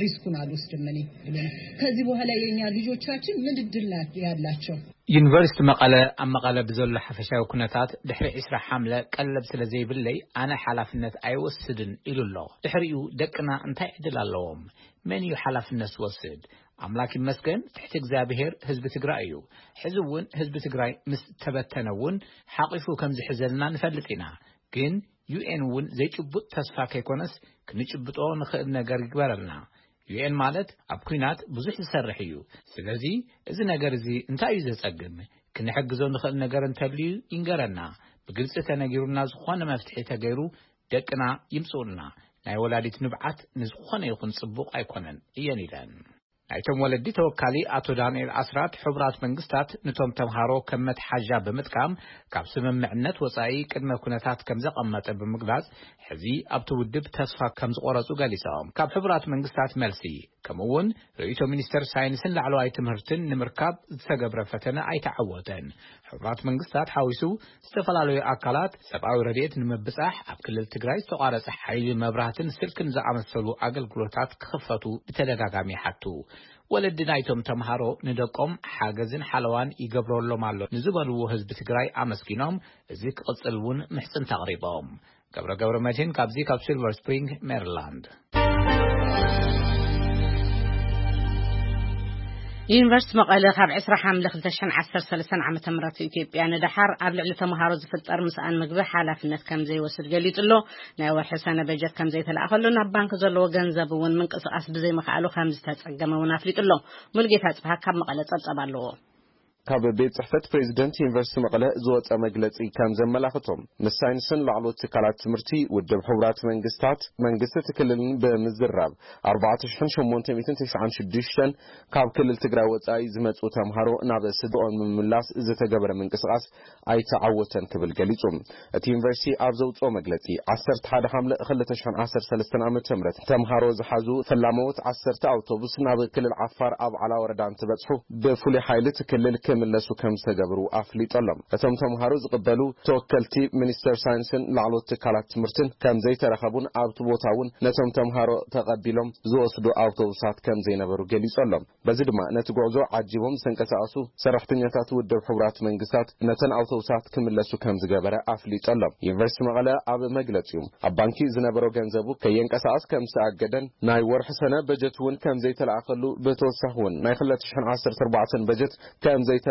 ሪስኩን አልወስድም እኔ ብሎ ነው። ከዚህ በኋላ የኛ ልጆቻችን ምን እድል ናት ያላቸው? ዩኒቨርሲቲ መቐለ ኣብ መቐለ ብዘሎ ሓፈሻዊ ኩነታት ድሕሪ ዕስራ ሓምለ ቀለብ ስለ ዘይብለይ ኣነ ሓላፍነት ኣይወስድን ኢሉ ኣሎ። ድሕሪኡ ደቅና እንታይ ዕድል ኣለዎም? መን እዩ ሓላፍነት ዝወስድ? ኣምላክ ይመስገን ትሕቲ እግዚኣብሔር ህዝቢ ትግራይ እዩ። ሕዚ እውን ህዝቢ ትግራይ ምስ ተበተነ እውን ሓቂፉ ከም ዝሕዘልና ንፈልጥ ኢና። ግን ዩ ኤን እውን ዘይጭቡጥ ተስፋ ከይኮነስ ክንጭብጦ ንኽእል ነገር ይግበረልና። ዩ ኤን ማለት ኣብ ኲናት ብዙሕ ዝሰርሕ እዩ። ስለዚ እዚ ነገር እዚ እንታይ እዩ ዘጸግም? ክንሕግዞ ንኽእል ነገር እንተልዩ ይንገረና። ብግልጺ ተነጊሩና ዝኾነ መፍትሒ ተገይሩ ደቅና ይምጽኡልና። ናይ ወላዲት ንብዓት ንዝኾነ ይኹን ጽቡቕ ኣይኮነን እየን ኢለን። ናይቶም ወለዲ ተወካሊ ኣቶ ዳንኤል ኣስራት፣ ሕቡራት መንግስታት ንቶም ተምሃሮ ከም መትሓዣ ብምጥቃም ካብ ስምምዕነት ወጻኢ ቅድመ ኩነታት ከም ዘቐመጠ ብምግላጽ፣ ሕዚ ኣብቲ ውድብ ተስፋ ከም ዝቖረጹ ገሊጾም። ካብ ሕቡራት መንግስታት መልሲ፣ ከምኡ እውን ርእይቶ ሚኒስተር ሳይንስን ላዕለዋይ ትምህርትን ንምርካብ ዝተገብረ ፈተነ ኣይተዓወተን። ሕቡራት መንግስታት ሓዊሱ ዝተፈላለዩ ኣካላት ሰብኣዊ ረድኤት ንምብጻሕ ኣብ ክልል ትግራይ ዝተቋረጸ ሓይሊ መብራህትን ስልክን ዝኣመሰሉ ኣገልግሎታት ክኽፈቱ ብተደጋጋሚ ይሓቱ። ወለዲ ናይቶም ተምሃሮ ንደቆም ሓገዝን ሓለዋን ይገብረሎም ኣሎ ንዝበልዎ ህዝቢ ትግራይ ኣመስጊኖም፣ እዚ ክቕጽል እውን ምሕጽንታ ኣቕሪቦም። ገብረ ገብረ መድህን ካብዚ ካብ ሲልቨር ስፕሪንግ ሜሪላንድ። ዩኒቨርሲቲ መቐለ ካብ ዕስራ ሓምለ ክልተ ሽሕን ዓሰርተ ሰለስተን ዓመተ ምህረት ኢትዮጵያ ንደሓር ኣብ ልዕሊ ተምሃሮ ዝፍጠር ምስኣን ምግቢ ሓላፍነት ከም ዘይወስድ ገሊጹ ኣሎ። ናይ ወርሒ ሰነ በጀት ከም ዘይተላእኸሉ፣ ናብ ባንክ ዘለዎ ገንዘብ እውን ምንቅስቓስ ብዘይምኽኣሉ ከም ዝተጸገመ እውን ኣፍሊጡ ኣሎ። ሙልጌታ ጽብሃ ካብ መቐለ ጸብጸብ ኣለዎ። ካብ ቤት ጽሕፈት ፕሬዚደንት ዩኒቨርሲቲ መቐለ ዝወጸ መግለጺ ከም ዘመላኽቶም፣ ምስ ሳይንስን ላዕለዎት ትካላት ትምህርቲ ውድብ ሕቡራት መንግስታት መንግስቲ እቲ ክልልን ብምዝራብ ኣርባዕተ ሽሕን ሸሞንተ ሚእትን ተስዓን ሽዱሽተን ካብ ክልል ትግራይ ወጻኢ ዝመጹ ተምሃሮ ናብ ስድራኦም ንምምላስ ዝተገበረ ምንቅስቓስ ኣይተዓወተን ክብል ገሊጹ። እቲ ዩኒቨርሲቲ ኣብ ዘውጽኦ መግለጺ፣ ዓሰርተ ሓደ ሓምለ ክልተ ሽሕን ዓሰርተ ሰለስተን ዓመተ ምህረት ተምሃሮ ዝሓዙ ፈላመዎት ዓሰርተ ኣውቶቡስ ናብ ክልል ዓፋር ኣብ ዓላ ወረዳ እንትበጽሑ፣ ብፍሉይ ሓይሊ እቲ ክልል ክምለሱ ከም ዝተገብሩ ኣፍሊጡ ኣሎ። እቶም ተምሃሮ ዝቕበሉ ተወከልቲ ሚኒስተር ሳይንስን ላዕለዎት ትካላት ትምህርትን ከም ዘይተረኸቡን ኣብቲ ቦታ እውን ነቶም ተምሃሮ ተቐቢሎም ዝወስዱ ኣውቶቡሳት ከም ዘይነበሩ ገሊጹ ኣሎ። በዚ ድማ ነቲ ጉዕዞ ዓጂቦም ዝተንቀሳቐሱ ሰራሕተኛታት ውድብ ሕቡራት መንግስታት ነተን ኣውቶቡሳት ክምለሱ ከም ዝገበረ ኣፍሊጡ ኣሎ። ዩኒቨርሲቲ መቐለ ኣብ መግለጺኡ፣ ኣብ ባንኪ ዝነበሮ ገንዘቡ ከየንቀሳቐስ ከም ዝተኣገደን ናይ ወርሒ ሰነ በጀት እውን ከም ዘይተለኣኸሉ፣ ብተወሳኺ እውን ናይ ክልተ ሽሕን ዓሰርተ ኣርባዕተን በጀት ከም ዘይተለቐቐሉ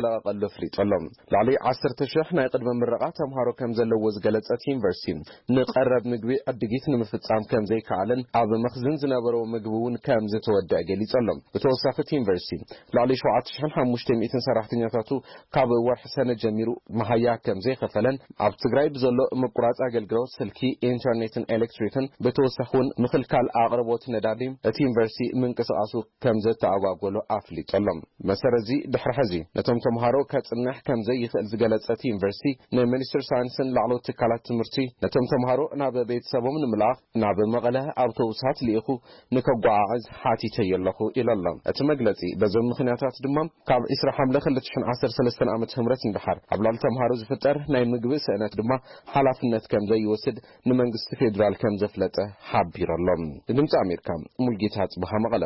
ኣፍሊጡ ኣሎ። ልዕሊ ዓሰርተ ሽሕ ናይ ቅድመ ምረቓ ተምሃሮ ከም ዘለዎ ዝገለጸ እቲ ዩኒቨርሲቲ፣ ንቐረብ ምግቢ ዕድጊት ንምፍጻም ከም ዘይከኣለን ኣብ መኽዝን ዝነበረዎ ምግቢ እውን ከም ዝተወደአ ገሊጹ ኣሎ። ብተወሳኺ እቲ ዩኒቨርሲቲ ልዕሊ ሸውዓተ ሽሕን ሓሙሽተ ሚእትን ሰራሕተኛታቱ ካብ ወርሒ ሰነ ጀሚሩ መሃያ ከም ዘይኸፈለን፣ ኣብ ትግራይ ብዘሎ ምቁራጽ ኣገልግሎት ስልኪ፣ ኢንተርኔትን ኤሌክትሪክን፣ ብተወሳኺ እውን ምኽልካል ኣቕርቦት ነዳዲ እቲ ዩኒቨርሲቲ ምንቅስቓሱ ከም ዘተኣጓጎሎ ኣፍሊጡ ኣሎ። መሰረት እዚ ድሕሪ ሕዚ ነቶም ተምሃሮ ከጽንሕ ከም ዘይኽእል ዝገለጸ እቲ ዩኒቨርሲቲ፣ ንሚኒስትሪ ሳይንስን ላዕለዎት ትካላት ትምህርቲ ነቶም ተምሃሮ ናብ ቤተሰቦም ንምልኣኽ ናብ መቐለ ኣውቶቡሳት ልኢኹ ንከጓዓዕዝ ሓቲተዮ ኣለኹ ኢሉ ኣሎ። እቲ መግለጺ በዞም ምኽንያታት ድማ ካብ ዕስራ ሓምለ ክልተ ሽሕን ዓሰርተ ሰለስተን ዓመተ ምህረት ንደሓር ኣብ ልዕሊ ተምሃሮ ዝፍጠር ናይ ምግቢ ስእነት ድማ ሓላፍነት ከም ዘይወስድ ንመንግስቲ ፌዴራል ከም ዘፍለጠ ሓቢሩ ኣሎ። ንድምፂ ኣሜሪካ፣ ሙልጌታ ጽብሃ፣ መቐለ።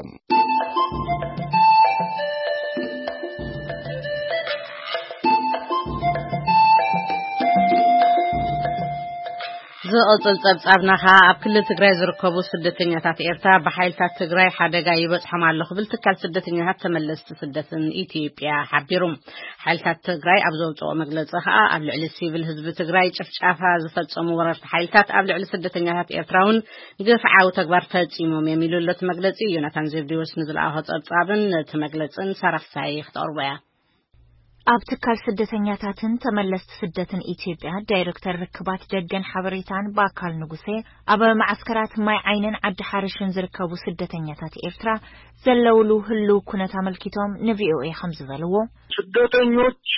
ዝቕጽል ጸብጻብና ኸኣ ኣብ ክልል ትግራይ ዝርከቡ ስደተኛታት ኤርትራ ብሓይልታት ትግራይ ሓደጋ ይበጽሖም ኣሎ ክብል ትካል ስደተኛታት ተመለስቲ ስደትን ኢትዮጵያ ሓቢሩ። ሓይልታት ትግራይ ኣብ ዘውጽኦ መግለጺ ኸኣ ኣብ ልዕሊ ሲቪል ህዝቢ ትግራይ ጭፍጫፋ ዝፈጸሙ ወረርቲ ሓይልታት ኣብ ልዕሊ ስደተኛታት ኤርትራ እውን ግፍዓዊ ተግባር ፈጺሞም እዮም ኢሉ ኣሎ እቲ መግለጺ። ዮናታን ዘብዴዎስ ንዝለኣኾ ጸብጻብን ነቲ መግለጽን ሳራ ፍሳሐ ክተቕርቦ እያ። ኣብ ትካል ስደተኛታትን ተመለስቲ ስደትን ኢትዮጵያ ዳይሬክተር ርክባት ደገን ሓበሬታን በኣካል ንጉሴ፣ ኣብ መዓስከራት ማይ ዓይንን ዓዲ ሓርሽን ዝርከቡ ስደተኛታት ኤርትራ ዘለውሉ ህልው ኩነት ኣመልኪቶም ንቪኦኤ ከም ዝበልዎ፣ ስደተኞቹ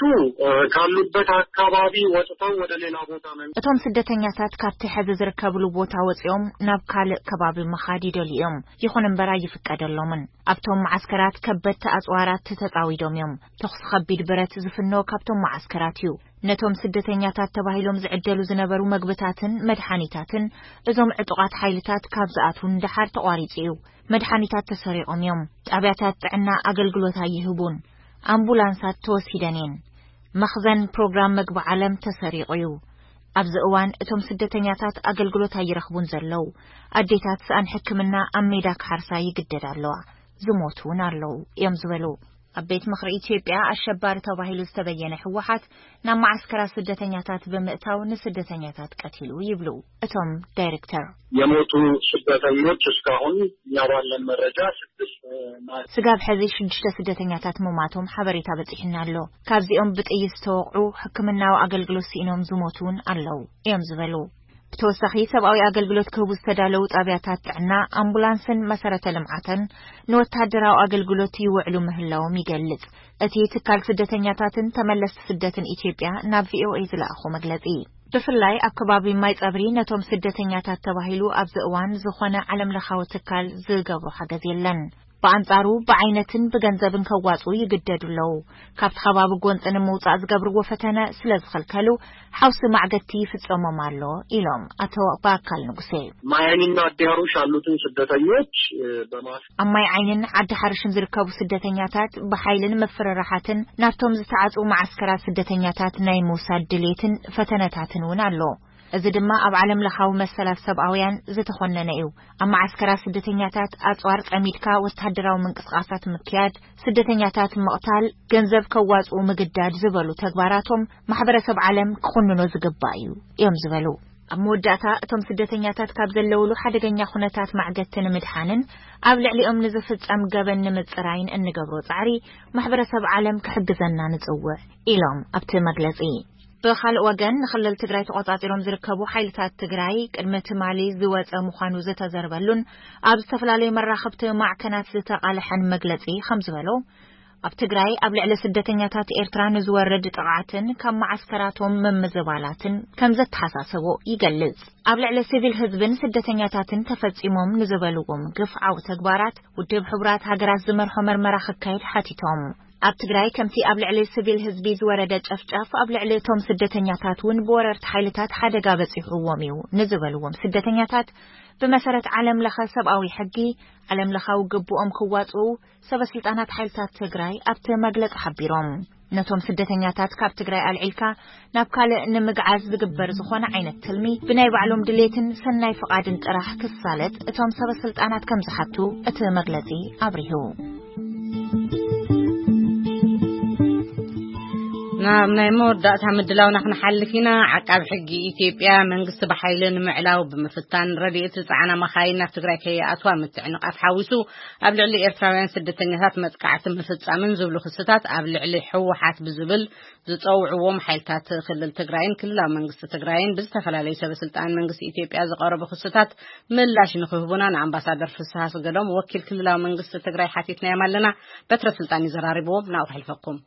ካሉበት አካባቢ ወጥተው ወደ ሌላ ቦታ መንቀሳቀስ እቶም ስደተኛታት ካብቲ ሕዚ ዝርከብሉ ቦታ ወጺኦም ናብ ካልእ ከባቢ ምኻድ ይደልዩ እዮም። ይኹን እምበር ኣይፍቀደሎምን። ኣብቶም መዓስከራት ከበድቲ ኣጽዋራት ተጻዊዶም እዮም። ተኹሲ ከቢድ ብረት ዝፍኖ ካብቶም መዓስከራት እዩ። ነቶም ስደተኛታት ተባሂሎም ዝዕደሉ ዝነበሩ መግብታትን መድሓኒታትን እዞም ዕጡቓት ሓይልታት ካብ ዝኣትዉ ንደሓር ተቋሪጹ እዩ። መድሓኒታት ተሰሪቖም እዮም። ጣብያታት ጥዕና ኣገልግሎት ኣይህቡን። ኣምቡላንሳት ተወሲደን እየን። መኽዘን ፕሮግራም መግቢ ዓለም ተሰሪቑ እዩ። ኣብዚ እዋን እቶም ስደተኛታት ኣገልግሎት ኣይረኽቡን ዘለዉ። ኣዴታት ሰኣን ሕክምና ኣብ ሜዳ ክሓርሳ ይግደዳ ኣለዋ። ዝሞቱ እውን ኣለዉ እዮም ዝበሉ። ኣብ ቤት ምኽሪ ኢትዮጵያ ኣሸባሪ ተባሂሉ ዝተበየነ ህወሓት ናብ መዓስከራት ስደተኛታት ብምእታው ንስደተኛታት ቀቲሉ ይብሉ እቶም ዳይሬክተር። የሞቱ ስደተኞች እስካሁን እኛ ባለን መረጃ ስድስት ናቸው። ስጋብ ሕዚ ሽዱሽተ ስደተኛታት ምማቶም ሓበሬታ በጺሑና ኣሎ። ካብዚኦም ብጥይት ዝተወቕዑ፣ ሕክምናዊ ኣገልግሎት ስኢኖም ዝሞቱ እውን ኣለዉ እዮም ዝበሉ። ብተወሳኺ ሰብኣዊ ኣገልግሎት ክህቡ ዝተዳለዉ ጣብያታት ጥዕና፣ ኣምቡላንስን መሰረተ ልምዓትን ንወታደራዊ ኣገልግሎት ይውዕሉ ምህላዎም ይገልጽ እቲ ትካል ስደተኛታትን ተመለስቲ ስደትን ኢትዮጵያ ናብ ቪኦኤ ዝለኣኾ መግለጺ። ብፍላይ ኣብ ከባቢ ማይ ጸብሪ ነቶም ስደተኛታት ተባሂሉ ኣብዚ እዋን ዝኾነ ዓለምለኻዊ ትካል ዝገብሮ ሓገዝ የለን። ብኣንጻሩ ብዓይነትን ብገንዘብን ከዋጽኡ ይግደዱ ኣለዉ። ካብቲ ከባቢ ጎንጺ ንምውጻእ ዝገብርዎ ፈተነ ስለ ዝኸልከሉ ሓውሲ ማዕገቲ ይፍጸሞም ኣሎ ኢሎም ኣቶ በኣካል ንጉሴ። ማያኒና አዲያሮሽ ያሉትን ስደተኞች በማስ ኣብ ማይ ዓይንን ዓዲ ሓርሽን ዝርከቡ ስደተኛታት ብሓይልን ምፍርራሓትን ናብቶም ዝተዓጽዉ መዓስከራት ስደተኛታት ናይ ምውሳድ ድሌትን ፈተነታትን እውን ኣሎ። እዚ ድማ ኣብ ዓለም ለኻዊ መሰላት ሰብኣውያን ዝተኾነነ እዩ። ኣብ መዓስከራት ስደተኛታት ኣጽዋር ጸሚድካ ወታደራዊ ምንቅስቃሳት ምክያድ፣ ስደተኛታት ምቕታል፣ ገንዘብ ከዋጽኡ ምግዳድ ዝበሉ ተግባራቶም ማሕበረሰብ ዓለም ክኹንኖ ዝግባእ እዩ እዮም ዝበሉ። ኣብ መወዳእታ እቶም ስደተኛታት ካብ ዘለውሉ ሓደገኛ ኩነታት ማዕገቲ ንምድሓንን ኣብ ልዕሊኦም ንዝፍጸም ገበን ንምጽራይን እንገብሮ ጻዕሪ ማሕበረሰብ ዓለም ክሕግዘና ንጽውዕ ኢሎም ኣብቲ መግለጺ። ብኻልእ ወገን ንክልል ትግራይ ተቆጻጺሮም ዝርከቡ ሓይልታት ትግራይ ቅድሚ ትማሊ ዝወጸ ምዃኑ ዝተዘርበሉን ኣብ ዝተፈላለዩ መራኸብቲ ማዕከናት ዝተቓልሐን መግለጺ ከም ዝበሎ ኣብ ትግራይ ኣብ ልዕሊ ስደተኛታት ኤርትራ ንዝወርድ ጥቕዓትን ካብ መዓስከራቶም ምምዝባላትን ከም ዘተሓሳሰቦ ይገልጽ። ኣብ ልዕሊ ሲቪል ህዝብን ስደተኛታትን ተፈጺሞም ንዝበልዎም ግፍዓዊ ተግባራት ውድብ ሕቡራት ሃገራት ዝመርሖ መርመራ ክካየድ ሓቲቶም። ኣብ ትግራይ ከምቲ ኣብ ልዕሊ ሲቪል ህዝቢ ዝወረደ ጨፍጫፍ ኣብ ልዕሊ እቶም ስደተኛታት እውን ብወረርቲ ሓይልታት ሓደጋ በጺሕዎም እዩ ንዝበልዎም ስደተኛታት ብመሰረት ዓለም ለኸ ሰብኣዊ ሕጊ ዓለም ለኻዊ ግቡኦም ክዋጽኡ ሰበ ስልጣናት ሓይልታት ትግራይ ኣብቲ መግለጺ ሓቢሮም። ነቶም ስደተኛታት ካብ ትግራይ ኣልዒልካ ናብ ካልእ ንምግዓዝ ዝግበር ዝኾነ ዓይነት ትልሚ ብናይ ባዕሎም ድሌትን ሰናይ ፍቓድን ጥራሕ ክሳለጥ እቶም ሰበ ስልጣናት ከም ዝሓቱ እቲ መግለጺ ኣብሪሁ። ናብ ናይ መወዳእታ ምድላውና ክንሓልፍ ኢና። ዓቃብ ሕጊ ኢትዮጵያ መንግስቲ ብሓይሊ ንምዕላው ብምፍታን ረድኤት ዝጸዓና መኻይን ናብ ትግራይ ከይኣትዋ ምትዕንቓፍ ሓዊሱ ኣብ ልዕሊ ኤርትራውያን ስደተኛታት መጥቃዕቲ ምፍጻምን ዝብሉ ክስታት ኣብ ልዕሊ ህወሓት ብዝብል ዝጸውዕዎም ሓይልታት ክልል ትግራይን ክልላዊ መንግስቲ ትግራይን ብዝተፈላለዩ ሰበ ስልጣን መንግስቲ ኢትዮጵያ ዝቐረቡ ክስታት ምላሽ ንክህቡና ንኣምባሳደር ፍስሃ ኣስገዶም ወኪል ክልላዊ መንግስቲ ትግራይ ሓቲትናዮም ኣለና። በትረ ስልጣን እዩ ዘራሪብዎም። ናብኡ ከሕልፈኩም።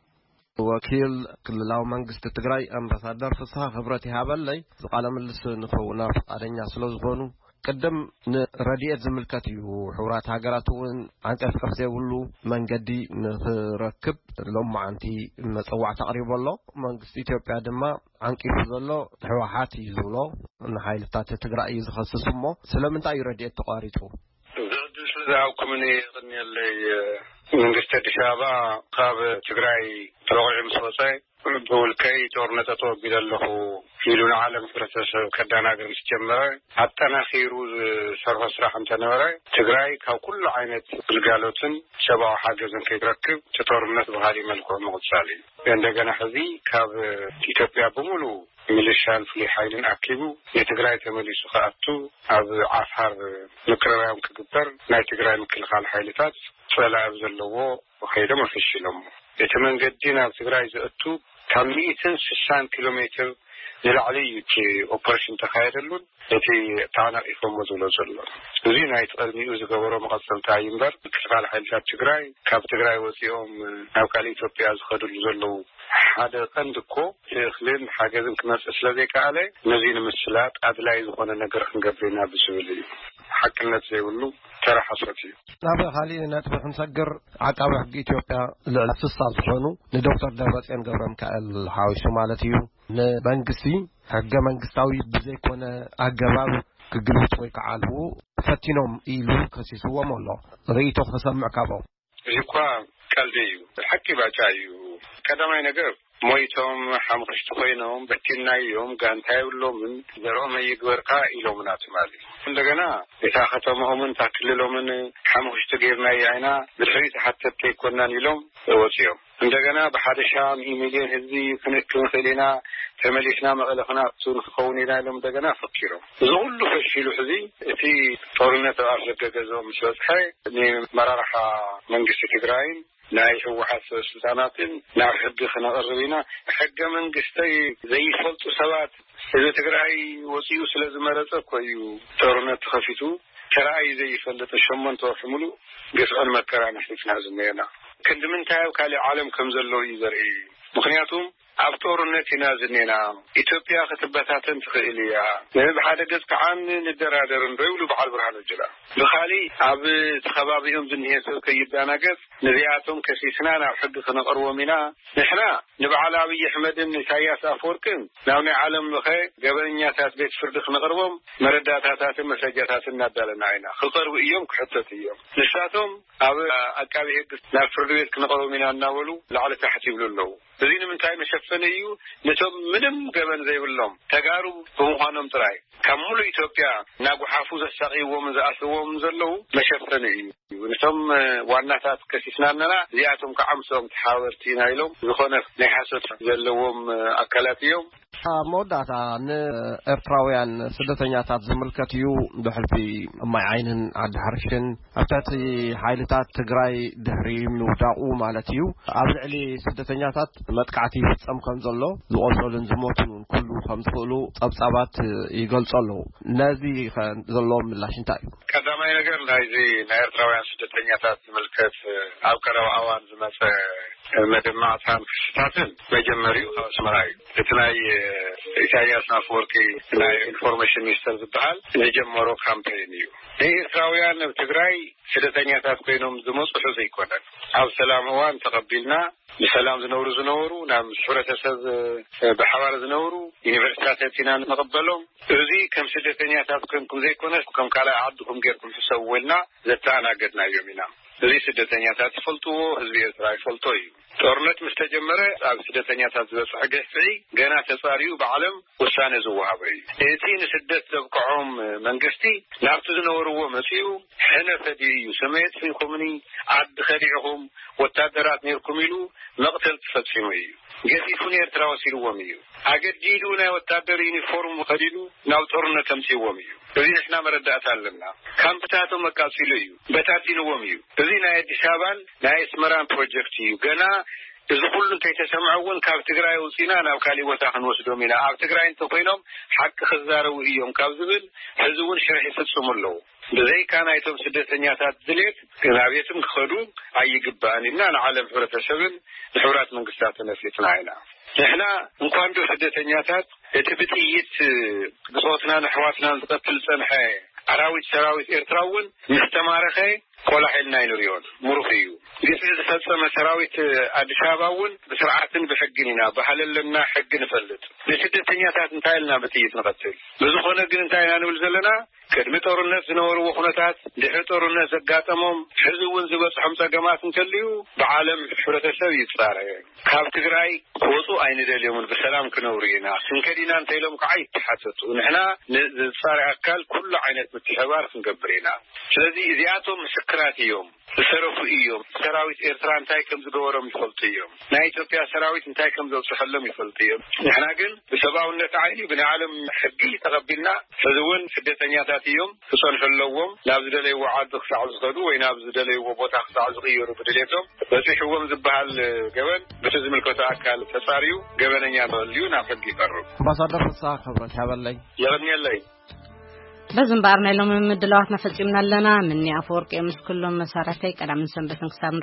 ወኪል ክልላዊ መንግስቲ ትግራይ ኣምባሳደር ፍስሃ ክብረት ይሃበለይ፣ እዚ ቃለ ምልልስ ንክህቡና ፍቃደኛ ስለ ዝኾኑ፣ ቅድም ንረድኤት ዝምልከት እዩ። ሕቡራት ሃገራት እውን ዓንቀፍቀፍ ዘይብሉ መንገዲ ንክረክብ ሎማዓንቲ መጸዋዕታ ኣቕሪቡ ኣሎ። መንግስቲ ኢትዮጵያ ድማ ዓንቂፉ ዘሎ ህወሓት እዩ ዝብሎ፣ ንሓይልታት ትግራይ እዩ ዝኸስስ። እሞ ስለምንታይ እዩ ረድኤት ተቋሪጹ? እዚ ዕድል ስለ ዝሃብኩምኒ የቐንየለይ። መንግስቲ ኣዲስ ኣበባ ካብ ትግራይ ተለቒዑ ምስ ወፀ፣ ብውልቀይ ጦርነት ኣተወጊደ ኣለኹ ኢሉ ንዓለም ሕብረተሰብ ከደናግር ምስ ጀመረ፣ ኣጠናኺሩ ዝሰርሖ ስራሕ እንተነበረ፣ ትግራይ ካብ ኩሉ ዓይነት ግልጋሎትን ሰብኣዊ ሓገዝን ከይትረክብ፣ እቲ ጦርነት ብኻሊእ መልክዑ ምቕጻል እዩ። እንደገና ሕዚ ካብ ኢትዮጵያ ብምሉእ ሚሊሻን ፍሉይ ሓይልን ኣኪቡ ንትግራይ ተመሊሱ ክኣቱ፣ ኣብ ዓፋር ምቅርራዮም ክግበር፣ ናይ ትግራይ ምክልኻል ሓይልታት ጸላኢ ኣብ ዘለዎ ከይዶም ኣፈሺሎሞ። እቲ መንገዲ ናብ ትግራይ ዘእቱ ካብ ሚእትን ስሳን ኪሎ ሜትር ንላዕሊ እዩ እቲ ኦፐሬሽን ተኻየደሉን እቲ ተዓናቒፎሞ ዝብሎ ዘሎ። እዚ ናይቲ ቅድሚኡ ዝገበሮ መቐጸልታ እዩ እምበር፣ ምክልኻል ሓይልታት ትግራይ ካብ ትግራይ ወፂኦም ናብ ካልእ ኢትዮጵያ ዝኸድሉ ዘለዉ ሓደ ቀንዲ እኮ እቲ እኽልን ሓገዝን ክመጽእ ስለ ዘይከኣለ፣ ነዚ ንምስላጥ ኣድላዪ ዝኾነ ነገር ክንገብር ኢና ብዝብል እዩ። ሓቅነት ዘይብሉ ተራ ሓሶት እዩ። ናብ ካሊእ ነጥቢ ክንሰግር፣ ዓቃቢ ሕጊ ኢትዮጵያ ልዕሊ ስሳ ዝኾኑ ንዶክተር ደብረጽዮን ገብረ ሚካኤል ሓዊሱ ማለት እዩ፣ ንመንግስቲ ሕገ መንግስታዊ ብዘይኮነ ኣገባብ ክግልብጡ ወይ ክዓልቡ ፈቲኖም ኢሉ ከሲስዎም ኣሎ። ርእይቶ ክሰምዕ ካብኦም። እዚ እኳ ቀልዲ እዩ፣ ሓቂ ባጫ እዩ። ቀዳማይ ነገር፣ ሞይቶም ሓሙኽሽቲ ኮይኖም በቲንናዮም፣ ጋንታ የብሎምን፣ ዘርኦም ኣይግበርካ ኢሎምና ትማሊ። እንደገና እታ ከተማኦምን እታ ክልሎምን ሓሙኽሽቲ ጌርናያ ኢና፣ ብድሕሪት ሓተትቲ ኣይኮናን ኢሎም ወፂኦም። እንደገና ብሓደ ሻም ሚልዮን ህዝቢ ክንእክብ ንኽእል ኢና፣ ተመሊስና መቐለ ክንኣቱ ንክኸውን ኢና ኢሎም እንደገና ፈኪሮም። እዚ ኩሉ ፈሺሉ ሕዚ እቲ ጦርነት ኣብ ኣፍ ደገ ገዝኦም ምስ በፅሐ፣ ንመራርሓ መንግስቲ ትግራይን ናይ ህወሓት ሰበስልጣናትን ናብ ሕጊ ክነቕርብ ኢና። ሕገ መንግስተይ ዘይፈልጡ ሰባት፣ ህዝቢ ትግራይ ወፂኡ ስለ ዝመረፀ እኮ እዩ ጦርነት ተኸፊቱ። ተራእዩ ዘይፈልጥ ሸሞንተ ወርሒ ሙሉእ ግፍዕን መከራን ኣሕሊፍና ዝኒኤና። ክንዲ ምንታይ ኣብ ካልእ ዓለም ከም ዘለዉ እዩ ዘርኢ። ምኽንያቱ ኣብ ጦርነት ኢና ዝኒኤና። ኢትዮጵያ ክትበታተን ትኽእል እያ። ብሓደ ገፅ ከዓ ንደራደር እንዶ ይብሉ በዓል ብርሃኑ ጁላ። ብኻሊእ ኣብ እቲ ከባቢኦም ዝኒሄ ሰብ ከይደናገፅ፣ ነዚኣቶም ከሲስና ናብ ሕጊ ክነቕርቦም ኢና። ንሕና ንበዓል ኣብይ ኣሕመድን ኢሳያስ ኣፈወርቅን ናብ ናይ ዓለም ለኸ ገበነኛታት ቤት ፍርዲ ክነቕርቦም መረዳእታታትን መስረጃታትን እናዳለና ኢና። ክቐርቡ እዮም፣ ክሕተቱ እዮም። ንሳቶም ኣብ ኣቃቢ ሕጊ ናብ ፍርዲ ቤት ክነቕርቦም ኢና እናበሉ ላዕሊ ታሕቲ ይብሉ ኣለዉ። እዚ ንምንታይ መሸፈኒ እዩ? ነቶም ምንም ገበን ዘይብሎም ተጋሩ ብምዃኖም ጥራይ ካብ ሙሉእ ኢትዮጵያ እናጓሓፉ ዘሳቕይዎምን ዝኣስርዎምን ዘለዉ መሸፈኒ እዩ። ነቶም ዋናታት ከሲስና ኣለና፣ እዚኣቶም ከዓ ምስኦም ተሓባበርቲ ኢና ኢሎም ዝኾነ ናይ ሓሶት ዘለዎም ኣካላት እዮም። ኣብ መወዳእታ ንኤርትራውያን ስደተኛታት ዝምልከት እዩ። ብሕልፊ ማይ ዓይንን ዓዲ ሓርሽን ኣብ ትሕቲ ሓይልታት ትግራይ ድሕሪ ምውዳቑ ማለት እዩ፣ ኣብ ልዕሊ ስደተኛታት መጥቃዕቲ ይፍጸም ከም ዘሎ፣ ዝቖሰሉን ዝሞቱን እውን ክህልዉ ከም ዝኽእሉ ጸብጻባት ይገልጹ ኣለዉ። ነዚ ኸ ዘለዎም ምላሽ እንታይ እዩ? ቀዳማይ ነገር፣ ናይዚ ናይ ኤርትራውያን ስደተኛታት ዝምልከት ኣብ ቀረባ እዋን ዝመጸ መደማዕታን ክስታትን መጀመሪኡ ካብ ኣስመራ እዩ። እቲ ናይ ኢሳያስ ኣፈወርቂ ናይ ኢንፎርሜሽን ሚኒስተር ዝበሃል ዝጀመሮ ካምፔን እዩ። ንኤርትራውያን ኣብ ትግራይ ስደተኛታት ኮይኖም ዝመጹ ሕዚ ኣይኮነን። ኣብ ሰላም እዋን ተቐቢልና ብሰላም ዝነብሩ ዝነበሩ፣ ናብ ምስ ሕብረተሰብ ብሓባር ዝነብሩ፣ ዩኒቨርሲታት ኣቲና ንቕበሎም። እዚ ከም ስደተኛታት ኮንኩም ዘይኮነስ ከም ካልኣይ ዓድኹም ጌርኩም ሕሰብዎ ኢልና ዘተኣናገድናዮም ኢና። እዚ ስደተኛታት ይፈልጥዎ፣ ህዝቢ ኤርትራ ይፈልጦ እዩ። ጦርነት ምስ ተጀመረ ኣብ ስደተኛታት ዝበፅሐ ግፍዒ ገና ተፃርዩ ብዓለም ውሳነ ዝወሃቦ እዩ። እቲ ንስደት ዘብቅዖም መንግስቲ ናብቲ ዝነበርዎ መፂኡ፣ ሕነ ፈዲኡ እዩ። ሰማይ የጥፊእኩምኒ፣ ዓዲ ከዲዕኹም፣ ወታደራት ነይርኩም ኢሉ መቕተልቲ ፈፂሙ እዩ። ገዚፉ ንኤርትራ ወሲድዎም እዩ። ኣገዲዱ ናይ ወታደር ዩኒፎርም ከዲኑ ናብ ጦርነት ኣምፂእዎም እዩ። እዚ ንሕና መረዳእታ ኣለና። ካምፕታቶም ኣቃፂሉ እዩ፣ በታቲንዎም እዩ። እዚ ናይ ኣዲስ ኣበባን ናይ ኣስመራን ፕሮጀክት እዩ። ገና እዚ ኩሉ እንተይተሰምዐ እውን ካብ ትግራይ ኣውፂና ናብ ካሊእ ቦታ ክንወስዶም ኢና። ኣብ ትግራይ እንተኮይኖም ሓቂ ክዛረቡ እዮም ካብ ዝብል ሕዚ እውን ሽርሒ ይፍፅሙ ኣለዉ። ብዘይካ ናይቶም ስደተኛታት ድሌት ናብየትም ክኸዱ ኣይግባእን ኢልና ንዓለም ሕብረተሰብን ንሕቡራት መንግስታትን ኣፍሊጥና ኢና። ንሕና እንኳን ዶ ስደተኛታት፣ እቲ ብጥይት ብጾትናን ኣሕዋትናን ዝቐትል ዝጸንሐ ኣራዊት ሰራዊት ኤርትራ እውን ምስ ተማረኸ ቆላሕ ኢልና ኣይንሪኦን። ምሩኽ እዩ። ግፍዒ ፈጸመ ሰራዊት ኣዲስ ኣበባ እውን ብስርዓትን ብሕግን ኢና፣ ባህሊ ኣለና፣ ሕጊ ንፈልጥ። ንስደተኛታት እንታይ ኢልና ብጥይት ንቐትል? ብዝኾነ ግን እንታይ ኢና ንብል ዘለና? ቅድሚ ጦርነት ዝነበርዎ ኩነታት፣ ድሕሪ ጦርነት ዘጋጠሞም፣ ሕዚ እውን ዝበጽሖም ጸገማት እንተልዩ፣ ብዓለም ሕብረተሰብ ይጻረ። ካብ ትግራይ ክወጹ ኣይንደልዮምን፣ ብሰላም ክነብሩ ኢና። ክንከድ ኢና እንተ ኢሎም ከዓ ይተሓተቱ። ንሕና ንዝጻረ ኣካል ኩሉ ዓይነት ምትሕባር ክንገብር ኢና። ስለዚ እዚኣቶም ምስክራት እዮም፣ ዝሰረፉ እዮም። ሰራዊት ኤርትራ እንታይ ከም ዝገበሮም ይፈልጡ እዮም። ናይ ኢትዮጵያ ሰራዊት እንታይ ከም ዘብጽሐሎም ይፈልጡ እዮም። ንሕና ግን ብሰብኣውነት ዓይኒ ብናይ ዓለም ሕጊ ተቐቢልና፣ ሕዚ እውን ስደተኛታት እዮም፣ ክጸንሑ ኣለዎም። ናብ ዝደለይዎ ዓዲ ክሳዕ ዝኸዱ ወይ ናብ ዝደለይዎ ቦታ ክሳዕ ዝቕየሩ ብድሌቶም በጺሕዎም ዝበሃል ገበን፣ በቲ ዝምልከቶ ኣካል ተጻርዩ ገበነኛ ተልዩ ናብ ሕጊ ይቐርብ። ኣምባሳደር ፍስሓ ክብረት ሓበለይ። የቐንየለይ። በዚ እምበኣር ናይ ሎሚ ምድላዋትና ፈጺምና ኣለና። ምኒ ኣፈወርቂ ምስ ኩሎም መሳርሕተይ ቀዳምን ሰንበትን ክሳብ